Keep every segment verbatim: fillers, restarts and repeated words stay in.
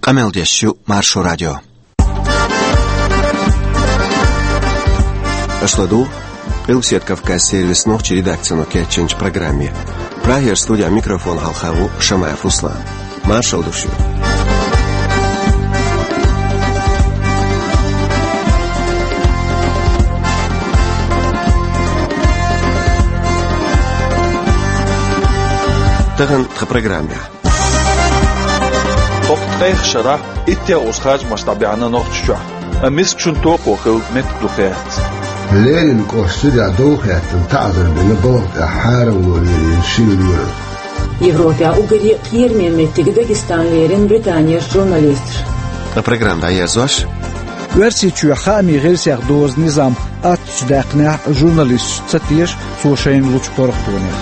Къамел деш ю Маршо радио. Аша ладугӀу Къилбаседа Кавказан сервисан нохчийн редакцино кечйинчу программе. Прагера студин микрофона хьалха ву Шамаев Руслан. Маршалла ду шуьга. Тахана тхан программехь. ХӀокху ткъех шарахь иттех уза харжамаш дӀабаьхьна Нохчийчохь, амма мискачун токхо хилла меттиг ду кхерца. Ленинан кӀоштан цӀа дов хеттина таӀзар бина балха тӀехь хьарам лолийна шина лоьрах. Европехь уггаре кхераме меттиг Дагестан лерина Британера журналисташ. Ткъа программа дӀаерзош: Оьрсийчоь хаамийн гӀирсех дозу низам аттачу даьккхинехь журналисташ ца теша цо шайна лучу паргӀатонех.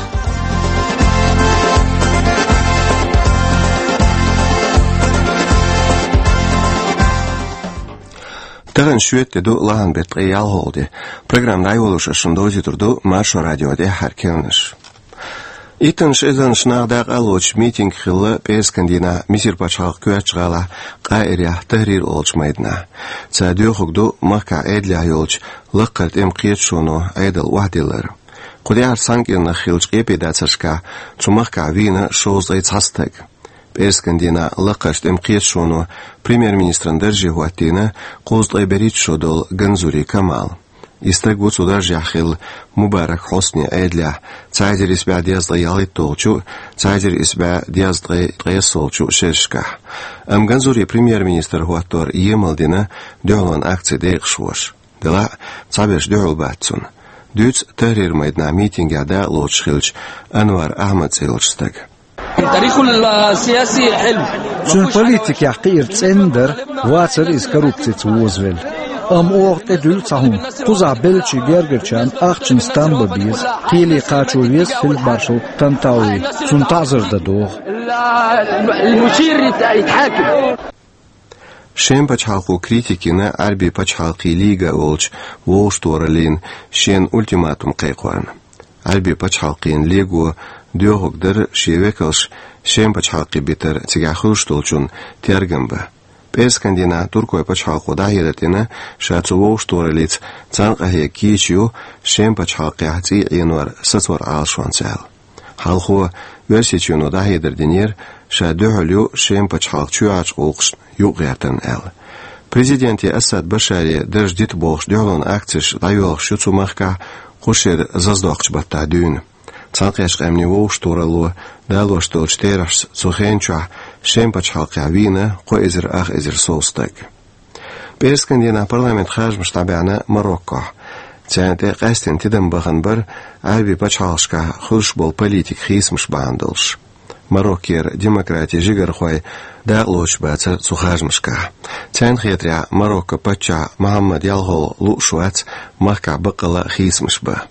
Тахана шоьтан де ду, лахьан беттан ткъе ялхалгӀа де. Программа дӀайолош ас шуна довзуьйтур ду Маршо радион тӀаьххьара керланаш. Иттаннаш эзарнаш нах дакъа а лоцуш митинг хилла пӀераскан дийнахь Мисар пачхьалкхан коьртачу гӀалахь Къаирехь Тахрир олучу майданахь. Цара доьхург ду махкахь Ӏедалехь йолчу лакхара тӀеман кхеташоно Ӏедал охьадиллар. Кху тӀаьхьарчу цхьана кӀирнах хиллачу къепедацаршкахь цу махкахь вийна шовзткъе цхьа стаг. ПӀераскан дийнахь лакхарчу тӀеман кхеташоно премьер-министран дарже хӀоттийна кхузткъе берхӀитта шо долу Ганзури Камал. И стаг ву цу даржехь хилла Мубарак Хьусни Ӏедалехь цхьа эзар исс бӀе дезткъе ялхитталгӀачу, цхьа эзар исс бӀе дезткъе ткъайоьссалгӀачу шерашкахь. Амма Ганзури премьер-министр хӀоттор емал дина дуьхьалонан акцин декъашхоша. Делахь а, цхьаберш дуьхьал бац цунна. Дуьйцу Тахрир майданахь митингехь дакъа лоцуш хиллачу Анвар Ахьмад цӀе йолчу стага. Цуьнан политикехь кхиар цӀена дара, вацара иза коррупцица вовзавелла. Амма оха тӀедуьллу цхьа хӀума: кхузахь беллачийн гергарчарна ахчанца там бан беза, кхеле кхачо веза фельдмаршал Тантауи, цунна таӀзар дан догӀу. Шен пачхьалкхо критика йина Ӏаьрбийн пачхьалкхийн лига олучу вовшахтохараллина шена ультиматум кхайкхорна. Ӏаьрбийн пачхьалкхийн лиго доьхург дара шен векалш Шен пачхьалкхе битар, цигахь хуьлуш долчунна тергам бан. ПӀераскан дийнахь туркойн пачхьалкхо дӀахьедар дина, ша цу вовшахтохараллица цхьаьна къахьега кийча ю Шен пачхьалкхехь цӀий Ӏенор сацор Ӏалашонца аьлла. Хьалхо Оьрсийчоьно дӀахьедар динера, ша дуьхьал ю Шен пачхьалкхан чоьхьарчу гӀуллакхашна юкъагӀертарна аьлла. Президенте Асад Башаре дарж дита бохуш дуьхьалонан акцеш дӀайоьлхуш ю цу махкахь кху шеран заздоккхучу баттахь дуьйна. Цхьаьнакхеттачу къаьмнийн вовшахтохаралло далош долчу терахьашца цу хенан чохь Шен пачхьалкхехь вийна кхо эзар ах эзар сов стаг. ПӀераскан дийнахь парламентан харжамаш дӀабаьхьна Мароккохь. Царна тӀе къаьстина тидам бахана бара Ӏаьрбийн пачхьалкхашкахь хуьлуш болу политикан хийцамаш бахьана долуш. Мароккера демократин жигархой дакъа лоцуш бацара цу харжамашкахь. Царна хетарехь, Мароккон паччахь Мухьаммад ялхалгӀа лууш вац махкахь баккъалла а хийцамаш бан.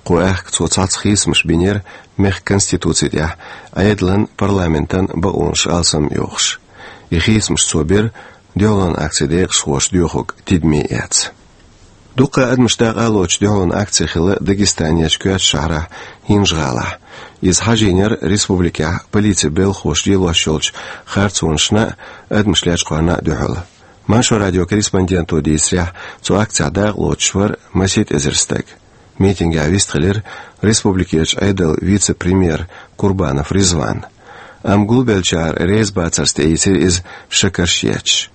Кху аьхка цо цхьацца хийцамаш бинера мехкан конституци тӀехь, Ӏедалан, парламентан бакъонаш алсам а йохуш. И хийцамаш цо бира дуьхьалонан акцин декъашхоша доьхург тидаме эцна. Дуккха а адамаш дакъа а лоцуш дуьхьалонан акци хилла Дагестанерчу коьртачу шахьарахь, ХӀинжа-ГӀалахь. Иза хьажийнера республикехь полицин белхахоша лелош йолчу харцонашна а, адамаш лечкъорна а дуьхьал. Маршо радион корреспонденто дийцарехь, цу акцехь дакъа лоцуш вара масийтта эзар стаг. Митингехь вистхилира республикерчу Ӏедалан вице-премьер Курбанов Ризван. Амма гулбеллачара реза бацарца тӀеийцира иза шакарш етташ.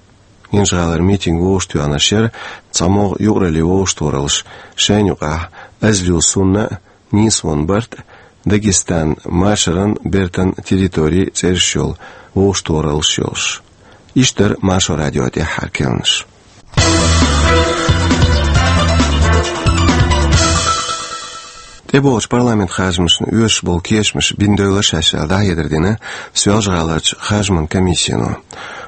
ХӀинжа-ГӀалара митинг вовшахтоьхнарш яра цхьамогӀа юкъараллин вовшахтохараллаш, шайна юкъахь Азлю Сунна а, Нийсвон Барт а, Дагестанан машаран, бертан территори цӀераш йолу вовшахтохараллаш йолуш. Иштта дара Маршо радион тӀаьххьара керланаш. ТӀебогӀучу парламентан харжамашна оьшуш болу кечамаш бина девлла шаьш аьлла дӀахьедар дина Соьлжа-ГӀаларчу харжаман комиссино.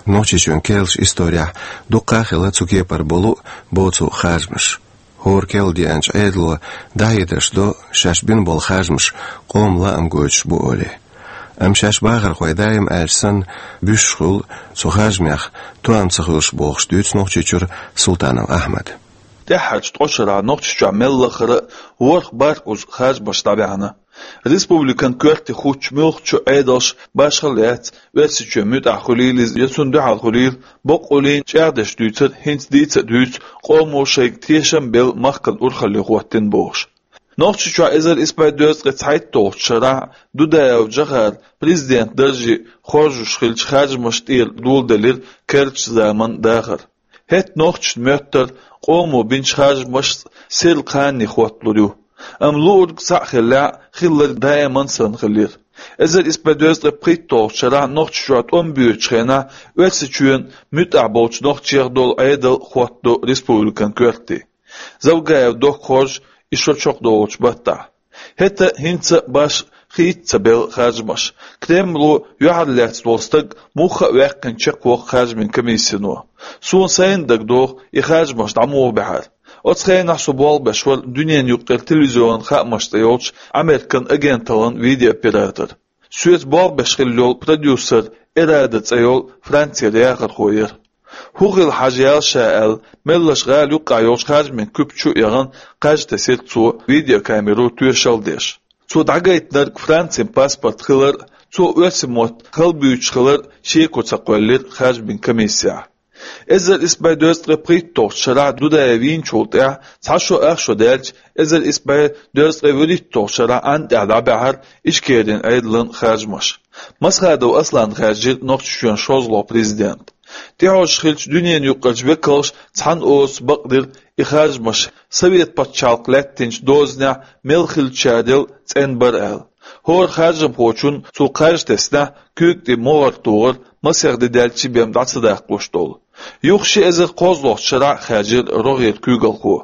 Нохчийчоьнан керлачу исторехь дуккха а хилла цу кепара болу а, боцу а харжамаш. ХӀора керла деанчу Ӏедало дӀахьедарш до, шаьш бина болу харжамаш къоман лаам гойтуш бу олий. Амма шаьш бахархой даим аьлча санна, буьсуш хуьлу цу харжамех тоам ца хуьлуш, бохуш дуьйцу Нохчийчуьра Султанов Ахьмада. ТӀаьххьарчу ткъа шарахь Нохчийчохь мел лаххара а ворхӀ-бархӀ уза харжамаш дӀабаьхьна. Республикан коьрте хӀуттучу муьлххачу Ӏедалша башхалла яц, Оьрсийчоь муьтӀахь хуьлийла иза я цунна дуьхьал хуьлийла, боккъаллин чӀагӀдеш дуьйцар хӀинца дийца а дуьйцу къомо шайга тешам а белла махкана урхалле хӀоттийна бохуш. Нохчийчохь эзар исс бӀе дезткъе цхьайтталгӀачу шарахь Дудаев Джохара президент даржехь хоржуш хиллачу харжамашна тӀера доладелира керлачу заманан дахар. ХӀетахь нохчашна моьттура къомо бинчу харжамашца сирла кхане хӀотталур ю. Амма луург цхьаъ хиллехь, хилларг даиман санна хилира. Эзар исс бӀе дезткъе пхийтталгӀачу шарахь Нохчийчохь тӀом боьдучу хенахь Оьрсийчоьнан муьтӀахь болчу нохчех долу Ӏедал хӀоттадо республикан коьрте. Завгаев Докка хоржу и шо чекхдолучу баттахь. ХӀетахь а, хӀинца а башха хийца ца белла харжамаш. Кремло юьхьарлаьцна волу стаг муха а ваьккхина чекхвоккху харжамийн комиссино. Суна сайна дагадогӀу и харжамаш дӀа муха баьхьара. Оцу хенахь со болх беш вара дуьненан юккъера телевизионан хаамаш цӀе йолчу Американ агенталлин видеооператор. Соьца болх беш хилла йолу продюсер Эрада цӀе йолу Францера яхархо яра. ХӀун хилла хьажа яьлла ша аьлла, меллаша гӀала юккъехь йолчу харжамийн куьпа чу а яхана, кхаж тесира цо, видеокамеро тоьшалла деш. Цо дӀагайтинарг Францин паспорт хилар а, цо оьрсийн мотт хала буьйцуш хилар а шеко ца кхоьллира харжамийн комиссехь. Эзар исс бӀе дезткъе пхийтталгӀачу шарахь Дудаев вийначул тӀаьхьа цхьа шо ах шо даьлча, эзар исс бӀе дезткъе вуьрхӀитталгӀачу шарахь Ӏаьнна тӀехь дӀабаьхьара Ичкерин Ӏедалан харжамаш. Масхадов Аслан хаьржира Нохчийчоьнан шозлагӀа президент. ТӀехьожуш хиллачу дуьненан юккъерчу векалша цхьана оцу бакъдира и харжамаш, Совет пачхьалкх лаьттинчу дозанехь мел хиллачарел цӀена бара аьлла. ХӀора харжамхочунна цо кхаж теснехь, куьйга тӀе могӀар тухар масех де даьлчи бен дӀа ца даккхош долу. Юха ши эзар кхозлагӀчу шарахь хаьржира рогӀера куьйгалхо.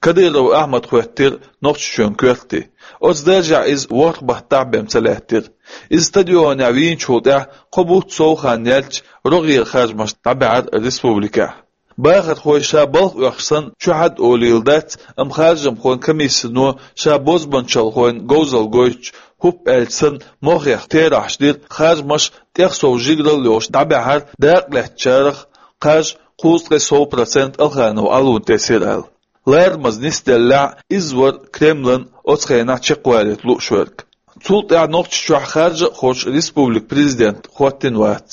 Кадыров Ахьмад хӀоьттира Нохчийчоьнан коьрте. Оцу даржехь иза ворхӀ баттахь бен ца лаьттира. Иза стадионехь вийначул тӀаьхьа кхо бутт сов хан яьлча, рогӀера харжамаш дӀабаьхьара республикехь. Бахархой ша балха оьхуш санна чухьа а олийла дац, амма харжамхойн комиссино ша бозбанчалхойн говзалла гойтуш, хӀуп аьлча санна, мохех терахьаш дира, харжамаш тӀех сов жигаралла йолуш дӀабаьхьара, дакъа лаьцначарах кхаж кхузткъе сов процент Алханов Ӏалун тесира аьлла. Ларамаза нисделлехь, иза вара Кремлан оцу хенахь чекхвалийта лууш верг. Цул тӀаьхьа Нохчийчохь харжа а хоттуш республикан президент хӀоттийна вац.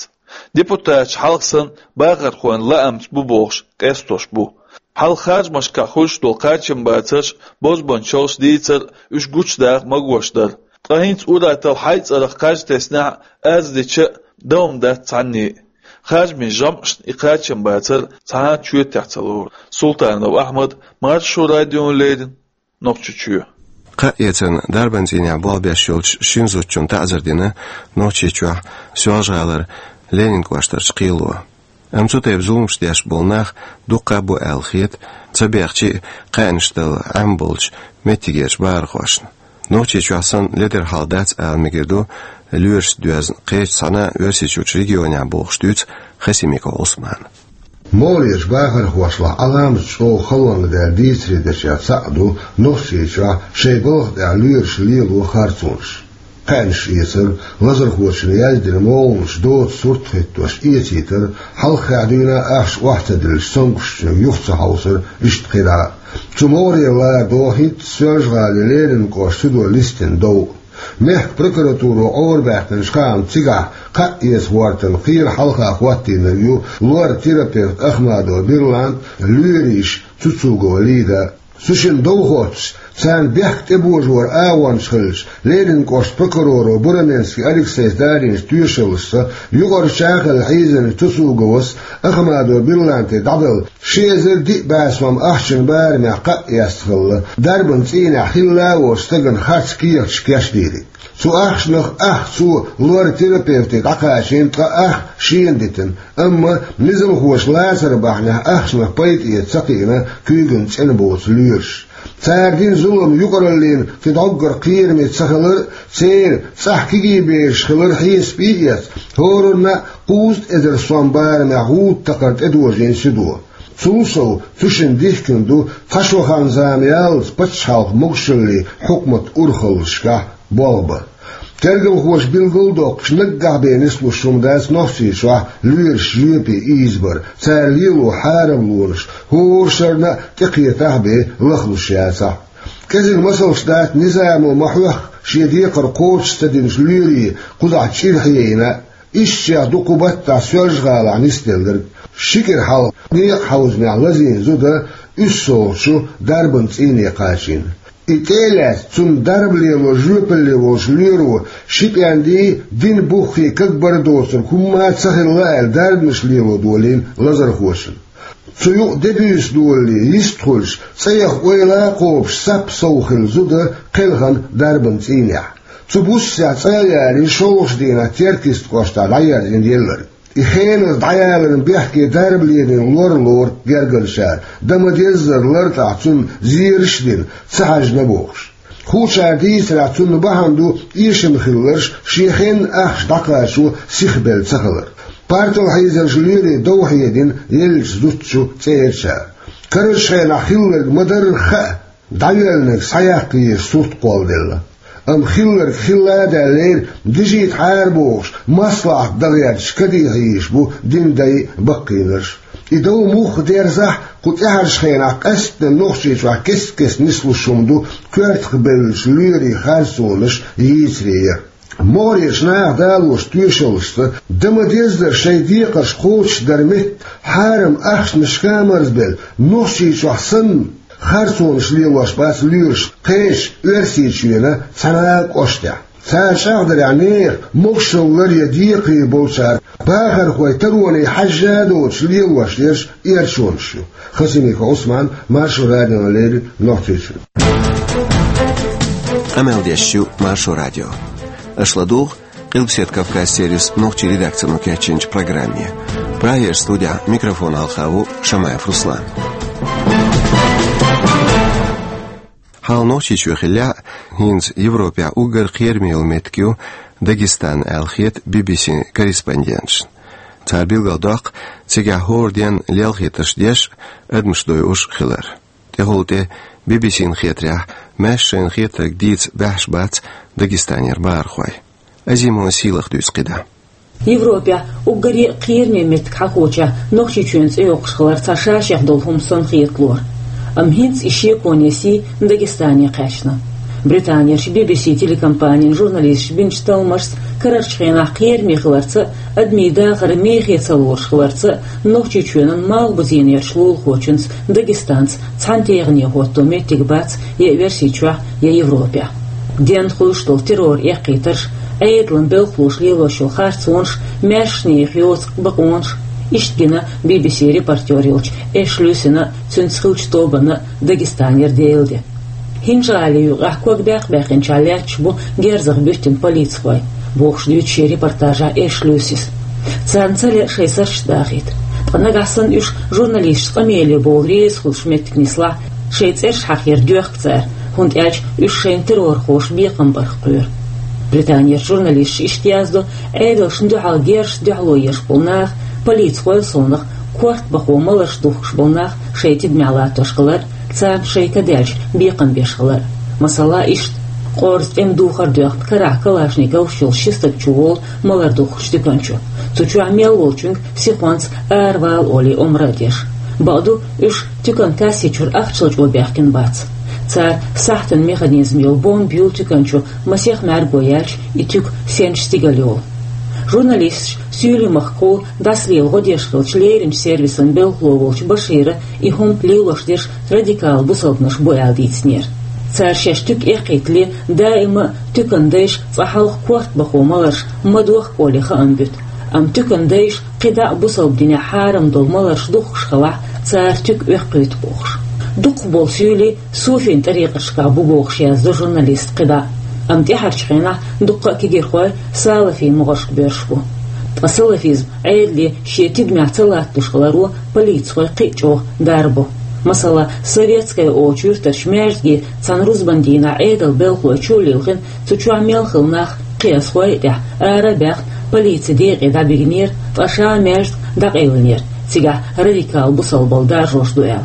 Депутаташ хьалха санна бахархойн лаамца бу бохуш къестош бу. Хьалха харжамашкахь хуьлуш долу кхачамбацарш, бозбанчалш дийцар а уьш гучудаха магош дара. Ткъа хӀинца ур-атталла хьайн цӀарах кхаж теснехь а, аз дича а, дан хӀума дац цхьанне а. Харжамийн жамӀашна и кхачамбацар цхьа а чоьтехь ца лору. Султанов Ахьмад, Маршо радиона леррина, Нохчийчоь. Кхаъ эцарна дарбан цӀийнехь болх беш йолчу шина зудчунна таӀзар дина Нохчийчохь, Соьлжа-ГӀалара, Ленин кӀоштарчу кхело. Амма цу тайпа зуламаш деш болу нах дуккха а бу аьлла хета, ца бехча а, кхаьънаш дала Ӏемаболчу меттигерчу бахархошна. Нохчийчохь санна ледара хьал дац ала мегар ду лоьрашца доьзна кхечу цхьана а Оьрсийчуьрчу регионехь бохуш дуьйцу Хасимиков Ӏусмана. МогӀарерчу бахархошлахь Ӏаламат чӀогӀа халонга даьлла дийцаре дершех цхьаъ ду Нохчийчохь шайн балха тӀехь лоьраш лело харцонаш. Кхаьънаш эцар, лазархочунна яздина могӀанаш доцу сурт хӀиттош эцийтар, хьалххе дуьйна ахча охьа ца диллича, цомгушчуьнга юха ца хьовсар, иштта кхидӀа а. Цу могӀарера лара догӀу хӀинца Соьлжа-ГӀалин Ленин кӀоштан судо листина дов а. Мехкан прокуратуро Ӏорабаьккхинчу хаамца, цигахь кхаъ эца хӀоттарна кхера хьалха хӀоттийнарг ю лор-терапевт Ахмадова Берлант, лоьрийша Цуцугова Лида. Цу шинна дов хоттуш, царна бехк тӀебожор агӀончаш хилча, Ленин кӀоштан прокуроро Бураменский Алексейс дарийначу тоьшаллашца юкъарча а хилла хьийзинчу Цуцуговас Ахмадова Берланте дӀабелла ши эзар диъ бӀе сом ахчанан барамехь кхаъ эцна хилла, дарбан цӀийнехь хилла а волчу стагана харц кехаташ кечдийриг. Цу ахчанах ах цо лор-терапевте дӀакхачийна, ткъа ах шена дитина. Амма низамхоша лацар бахьанехь ахчанах пайда эца ца кхиъна куьйгана цӀена боцу лоьраш. Цара дина зулам юкъараллина кхин дӀоггара кхераме ца хилар а, церан цӀахь кегий бераш хилар хьесапе а эцна, хӀоранна а кхузткъа эзар сом барамехь гӀуда такхар тӀедожийна судо. Цул сов, цу шинна дихкина ду цхьа шо хан-зама яллалц пачхьалкхан могушаллин хьукматан урхаллашкахь болх бар. Тергалхоша билгалдоккхуш, наггахь бен нислуш хӀума дац Нохчийчохь лоьраш жоьпе ийзабар, цара лело хьарамлонаш хӀора шарна а тӀекхетахь а бен лахлуш яцахь а. КӀезига масалш дац низамо ма хьоьхху шен декхар кхочуш ца динчу лоьрийн кхузахь чӀир хьийна. Ишттачех ду кху баттахь Соьлжа-ГӀалахь нисделларг. Ши кӀира хьалха некъахьовзамехь лазийна зуда уьссалгӀачу дарбан цӀийне кхачийна. И тӀе а лаьцна, цунна дарба лело жоьпалле волчу лоьро ши пӀендий, дин буххий кагбар доцург хӀумма а ца хилла аьлла, дарбанаш лело долийна лазархочунна. Цу юкъа де-буьйса долале йистхуьлуш, цӀа яха ойла а кхобуш, сап сов хилла зуда кхелхина дарбан цӀийнехь. Цу буссехь цӀа а ялийна, шолгӀачу дийнахь Теркйист кӀоштахь дӀаерзийна елларг. И хеназа дӀаяларна бехке дарба лелийна лор лору гергарчара, дан ма-деззара лартӀахь цунна зераш а дина, ца хьаьжна бохуш. Хуучара дийцарехь, цунна бахьана ду эшам хилларш, шен хенна ахча дӀакхачо сихбелла ца хилар. Партал хьийзарш лоьрийн дов хьедина еллачу зудчун цӀерачара. Карарчу хенахь хилларг ма-дарра хаа, дӀайоьллинарг схьаяккха еза сурт кхолладелла. Амма хилларг хилла а даьллера, дижийтахьара бохуш, маслахьат дан гӀерташ кадихьа йийш бу динан дай а, баккхийнарш а. И дов муха дерзахь а, кху тӀаьхьарчу хенахь къаьсттина Нохчийчохь кест-кеста нислуш хӀума ду коьртах бевллачу лоьрийн харцонаш йийцаре яр. МогӀарерчу наха далочу тоьшаллашца, дан ма-деззара шайн декхарш кхочушдар метта, хьарам ахчанашка а марзбелла, Нохчийчохь санна, харцонаш лелош бац лоьраш кхечу Оьрсийчоьнан цхьана а кӀоштехь. Цара чӀагӀдарехь, нехан могушаллара я декхаре болчара бахархой тароне хьаьжжа а доцуш лелош ерш эрчонаш ю. Хасимиков Ӏусман, Маршо радиона леррина Нохчийчуьра. Къамел деш ю Маршо радио. Аша ладугӀу Къилбаседа Кавказ сервисан нохчийн редакцино кечйинчу программе. Прагерчу студехь микрофон хьалха ву Шамаев Руслан. Хьалха Нохчийчоь хиллехь а, хӀинца Европехь уггар кхераме йолу меттиг ю Дагестан аьлла хета Би-Би-Син корреспонденташна. Цара билгалдоккху, цигахь хӀора денна лелхийтарш деш а, адамаш дойуш а хилар. ТӀехула тӀе Би-Би-Сина хетарехь, маьрша шайна хетарг дийца баьхьаш бац Дагестанера бахархой. Азимова Сийлаха дуьйцу кхидӀа. Европехь уггаре а кхераме меттиг хьахочехь, Нохчийчоьнан цӀе йоккхуш хилар цхьа ша-шех долу хӀума санна хеталора. Амма хӀинца и шеконе сий Дагестане кхаьчна. Британерчу Би-Би-Си телекомпанин журналисташа бинчу талламашца, карарчу хенахь кхераме хиларца а, адамийн дахар мехе ца лоруш хиларца а, Нохчийчоьнан Малхбузенерчу лулахочуьнца Дагестанца цхьана тегӀане хӀотто меттиг бац я Оьрсийчохь, я Европехь. Денна хуьлуш долу террор эккхийтарш, Ӏедалан белхалоша лелош йолу харцонаш, маьршачу нехан йоцу бакъонаш. Иштта гина Би-Би-Син репортер йолчу Эшли Люсина а, цуьнца хиллачу тобанна а Дагестанера Делан де. ХӀинжа-ГӀалин юкъахь ког баьккха баьккхинчохь лаьтташ бу герзах буьттина полицихой, бохуш дуьйцу шен репортажехь Эшли Люсис. Царна ца лаьа шайн сурташ дахийта. Ткъа нагахь санна уьш журналисташца къамеле бовла реза хуьлуш меттиг нислахь, шайн цӀераш хьахаяр доьхку цара, хӀунда аьлча уьш шайна террорхоша бекхам барх кхоьру. Британерчу журналисташа иштта яздо, Ӏедалшна дуьхьал герзашна дуьхьало еш болу нах, полицихойн совнаха корта бахо маларш духкуш болу нах шайн тидамехь латтош хилар, царна шайн ка даьлча бекхам беш хилар. Масала, иштта, къорза тӀеман духар доьхна, карахь калашниковаш йолуш ши стаг чуволу малар духкучу туькан чу. Цу чохь мел волчуьнга сихонца аравала олий омра а деш. Бакъду, уьш туькан касси чуьра ахча лачкъо баьхкина бац. Цара сахьтан механизм йолу бомба юьллу туькан чу, масех мӀаьрго яьлча, и туька сенчу стигала йолу. Журналисташа суьйлий махкахула дӀасалела гӀо деш хиллачу леринчу сервисан белхало волчу Башира и хӀума лелош дерш радикал бусалбанаш бу аьлла дийцинера. Цара шаьш туька эккхийтале, даима а туькан дайша цкъа хьалха корта бахо маларш ма дохку олий хаам буьту. Амма туькан дайша кхидӀа а бусалба динехь хьарам долу маларш духкуш хилахь, цара туька оьккхуьйту бохуш. Дукхахболу суьйлий суфийн тӀарикъаташкахь бу бохуш яздо журналиста кхидӀа. Амма тӀаьхьарчу хенахь дуккха а кегирхой салафийн могӀаршка боьрзуш бу. Ткъа салафизм Ӏедале шен тидамехь ца латталуш хиларо полицихой кхин а чӀогӀа дарбо. Масала, Советская олучу юьртарчу маьждиге цхьана рузбан дийнахь Ӏедалан белхалой чу а лилхина, цу чохь мел хилла нах кхиазхой а тӀехь ара а баьхна, полицин декъе дӀабигнера, ткъа ша маьждиг дӀакъевлинера, цигахь радикал бусалбалла даржош ду аьлла.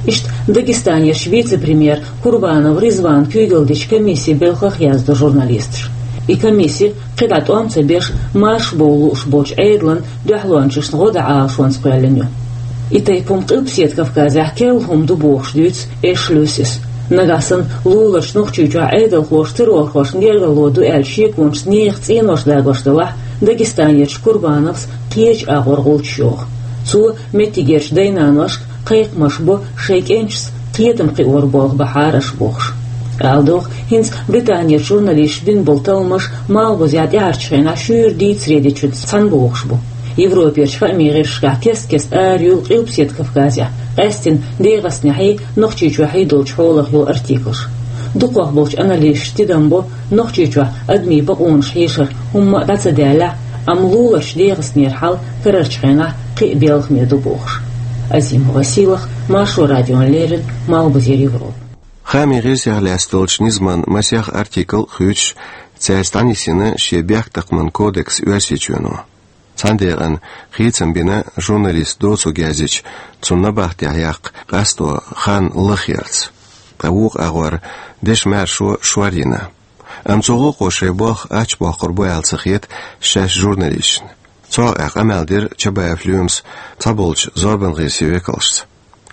Иштта Дагестанерчу вице-премьер Курбанов Ризванан куьйгалла дечу комиссин белхах яздо журналисташа. И комисси кхидӀа тӀом ца беш, маршбовла лууш болчу Ӏедалан дуьхьалончашна гӀо дан Ӏалашонца кхоьллина ю. И тайпа хӀума Къилбаседа Кавказехь керла хӀума ду бохуш дуьйцу Эшли Люсис. Нагахь санна луларчу Нохчийчохь Ӏедалхоша террорхошна гергарло ду аьлла шеконашца нехан цӀенош дагош делахь, Дагестанерчу Курбановс кхечу агӀор гӀулчаш йоху. Цо меттигерчу дай-наношка кхайкхамаш бо шайн кӀенташца кхетам кхиор болх бахьара аша бохуш. Ала догӀу, хӀинца Британерчу журналисташа бина болу талламаш малхбузехь тӀаьхьарчу хенахь шуьйра дийцаре дечуьнца цхьаьна бохуш бу. Европерчу хаамийн гӀирсашкахь кест-кеста ара юьллу Къилбаседа Кавказехь, къаьсттина ДегӀастанехьий, Нохчийчохьий долчу хьолах йолу артиклаш. Дукхах болчу аналисташа тидам бо, Нохчийчохь адамийн бакъонаш хьешара хӀумма а дӀа ца даьллехь, амма луларчу ДегӀастанера хьал карарчу хенахь кхин а белхаме ду бохуш. Азима Василах, Маршо радиона леррина, Малхбузера Европа. Хаамийн гӀирсех лаьцна долчу низаман масех артикл а хуьйцуш, цаьрца дӀанисйина шен бехктакхаман кодекс Оьрсийчоьно. Цхьана декъана хийцам бина журналист доцург яздича, цунна набахтехь яккха къасто хан лахъярца. Ткъа вукху агӀор дешан маьршо шор йина. Амма цу гӀуллакхо шайн болх ачбоккхур бу аьлла ца хета шаьш журналисташна. Цу хьокъехь къамел дира Чабаев Лоьмас цхьаболчу зорбан гӀирсийн векалшца.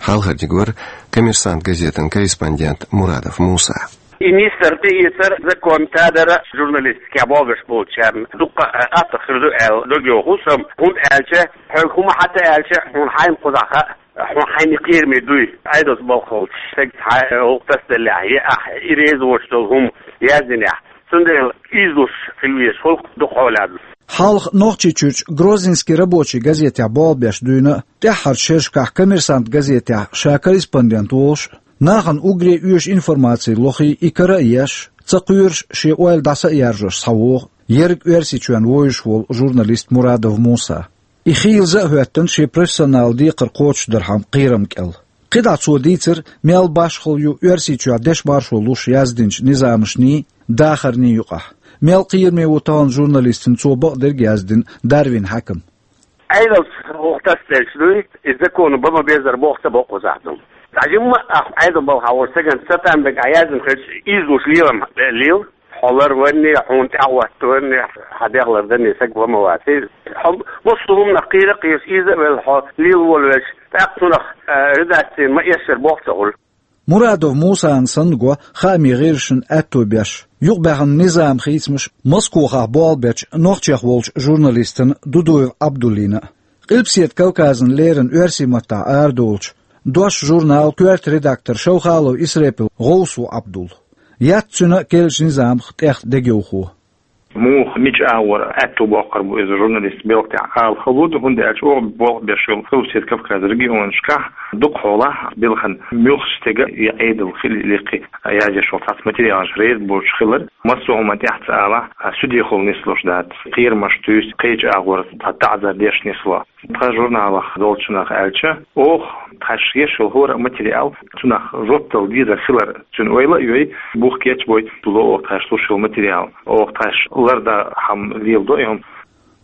Хьалхарниг вара «Коммерсант» газетан корреспондент Мурадов Муса. И нисдар, тӀеэцар закон тӀедара журналистикехь болх беш болчарна дуккха а аттах хир ду аьлла дог йоху со, хӀунда аьлча хьоьга хӀума хьан тӀе аьлча, хьуна хьайна кхузахь хаьа, хьуна хьайна кхераме дуй, Ӏедалца болх болчу стеган цхьа а гӀуллакх тасаделлехь, я ахь и реза воцуш долу хӀума яздинехь. Цундела иза луш хила везаш хуьлу дукха хьолехь. Хьалха Нохчийчуьрчу «Грозненский рабочий» газетехь болх беш дуьйна а, тӀаьххьарчу шерашкахь «Коммерсант» газетехь ша корреспондент волуш а, нахана уггаре оьшу информаци лохий и кара а еш, ца кхоьруш шен ойла дӀаса а яржош схьавогӀу ерриг Оьрсийчоьнна вовзуш волу журналист Мурадов Муса. И хийлаза а хӀоьттина шен профессионал декхар кхочушдархьама кхерам кӀел. КхидӀа цо дийцира, мел башхалла ю Оьрсийчохь дешан маршо луш яздинчу низамашний, дахарний юкъахь. Мел кхераме ву тахана журналистана цо бакъдерг а яздина Дарвин хьаькам. Ӏедалца гӀуллакх тасаделча дуй, и законо бан ма-беззара болх ца бо кхузахь ду. Ткъа жимма а ахь Ӏедалан балхахь волчу стагана цатам берг ахь яздина хилча, иза луш лелам лела. Хьо ларванне, хьуна тӀаьхьахӀоттаванне, хьан дегӀ ларданне стаг ван ма вац. Хьо массо а хӀуманах кхера а кхераш, иза а велла, хьо лела волавелча, тӀаккха цунах, а, редакцина ма-эшшара болх ца хуьлу. Мурадов Мусана санна го хаамийн гӀирсашна аьтто беш, юкъабаьхна низаман хийцамаш Москохахь болх бечу нохчех волчу журналистана Дудуев Ӏабдуллина а. Къилбаседа Кавказана леррина оьрсийн маттахь арадолучу «Дош» журналан коьрта редактор Шовхалов Исрепил гӀовс ву Ӏабдул. Яц цуьнан а керлачу низамах тӀех дегайовхо. Муха, мича агӀор аьтто боккхур бу иза журналист белхан тӀехь ала хала ду, хӀунда аьлча оха болх беш йолу Къилбаседа Кавказан регионашкахь дукха хьолахь белхан муьлххачу стеган я Ӏедалан хила лекхи язъеш йолу цхьацца материалаш реза боцуш хилар, массо а хӀуманна тӀехь ца алахь, а, судехула нислуш дац, кхерамаш туьйсу, кхечу агӀор цхьа таӀзар деш нисло. Тхан журналах долчунах аьлча, оха тхаьш еш йолу хӀора а материал, цунах жоп дала дезар хилар цуьнан ойла а йой, бух кечбой, ло оха тхаьш луш йолу материал, оха тхаьш лардан хӀума леладо и хӀума.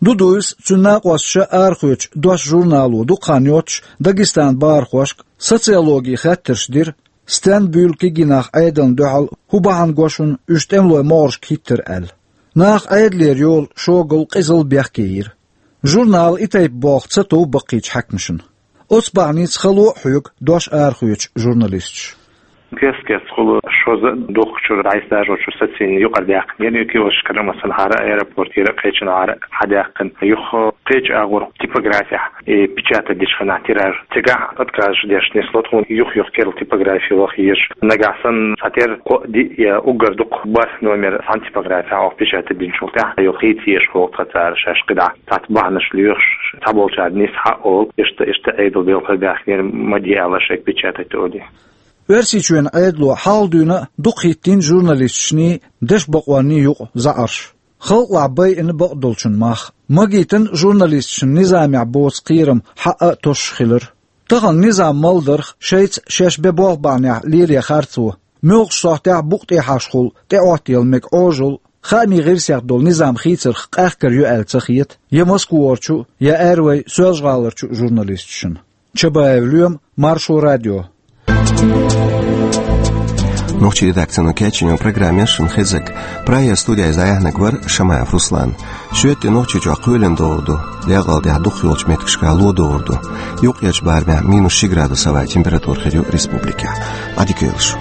Дудуевс, цуьнан накъосташа арахоьцучу «Дош» журнало дукха хан йоццуш Дагестанан бахархошка социологин хаттарш дира, стенна буьйлу кегий нах Ӏедална дуьхьал хӀун бахьана го шуна, уьш тӀемалойн могӀаршка хӀиттара аьлла. Наха Ӏедалера йолу шогалла, къизалла бехке йира. Журнало и тайпа болх ца тов баккхийчу хьаькамашна. Оцу бахьаница хало а хьоьгу «Дош» арахоьцучу журналисташа. Кест-кеста хула шозза а духкучуьра, дӀасадажочуьра сацийна юкъара даьккхинера, и киоскашкара а, масала, хӀара аэропортера а, кхечанхьара а хьадаьккхина. Юха кхечу агӀор типографехь и печатать дечу хенахь тираж, цигахь отказ деш нисло тхуна, юх-юха керла типографи ваха езаш. Нагахь санна цхьатерра кхоъ-диъ я уггар дукха бархӀ номер цхьана типографехь оха печатать динчул тӀаьхьа, юха хийца езаш хӀокху тхан цара шаьш кхидӀа цхьацца бахьанаш лоьхуш, цхьаболчара нисса хьаоьлу, иштта, иштта Ӏедал белхар баьхкинера, ма де аьлла шайга печатать олий. Оьрсийчоьнан Ӏедало хьалха дуьйна а дукха хӀиттийна журналисташний, дешан бакъонний юкъа заӀарш. Халкъалахь байина бакъдолчун мах. Магийтина журналисташна низамехь боцу кхерам хьаъа а тосуш хилар. Тахана низам малдарх шайца шаьш бен болх бахьанехь лелае харцо, муьлххачу сохьтехь букъ тӀехьашхула тӀеӀоттаяла мега Ӏожалла, хаамийн гӀирсех долу низам хийцарх къахкар ю аьлла ца хета я Москварчу, я Аьррой Соьлжа-ГӀаларчу журналисташна. Чабаев Лоьма, Маршо радио. Нохчийн редакцино кечйинчу программе шуна хезарг. Прагера студехь дӀаяьхьнарг вара Шамаев Руслан. Шоьтан тӀе Нохчийчохь кхоьлина догӀур ду, декъалдехь дукхахйолчу меттигашкахь ло догӀур ду. Юккъерчу барамехь минус ши градус хӀаваан температура хир ю республикехь. Ӏадика йойла шу.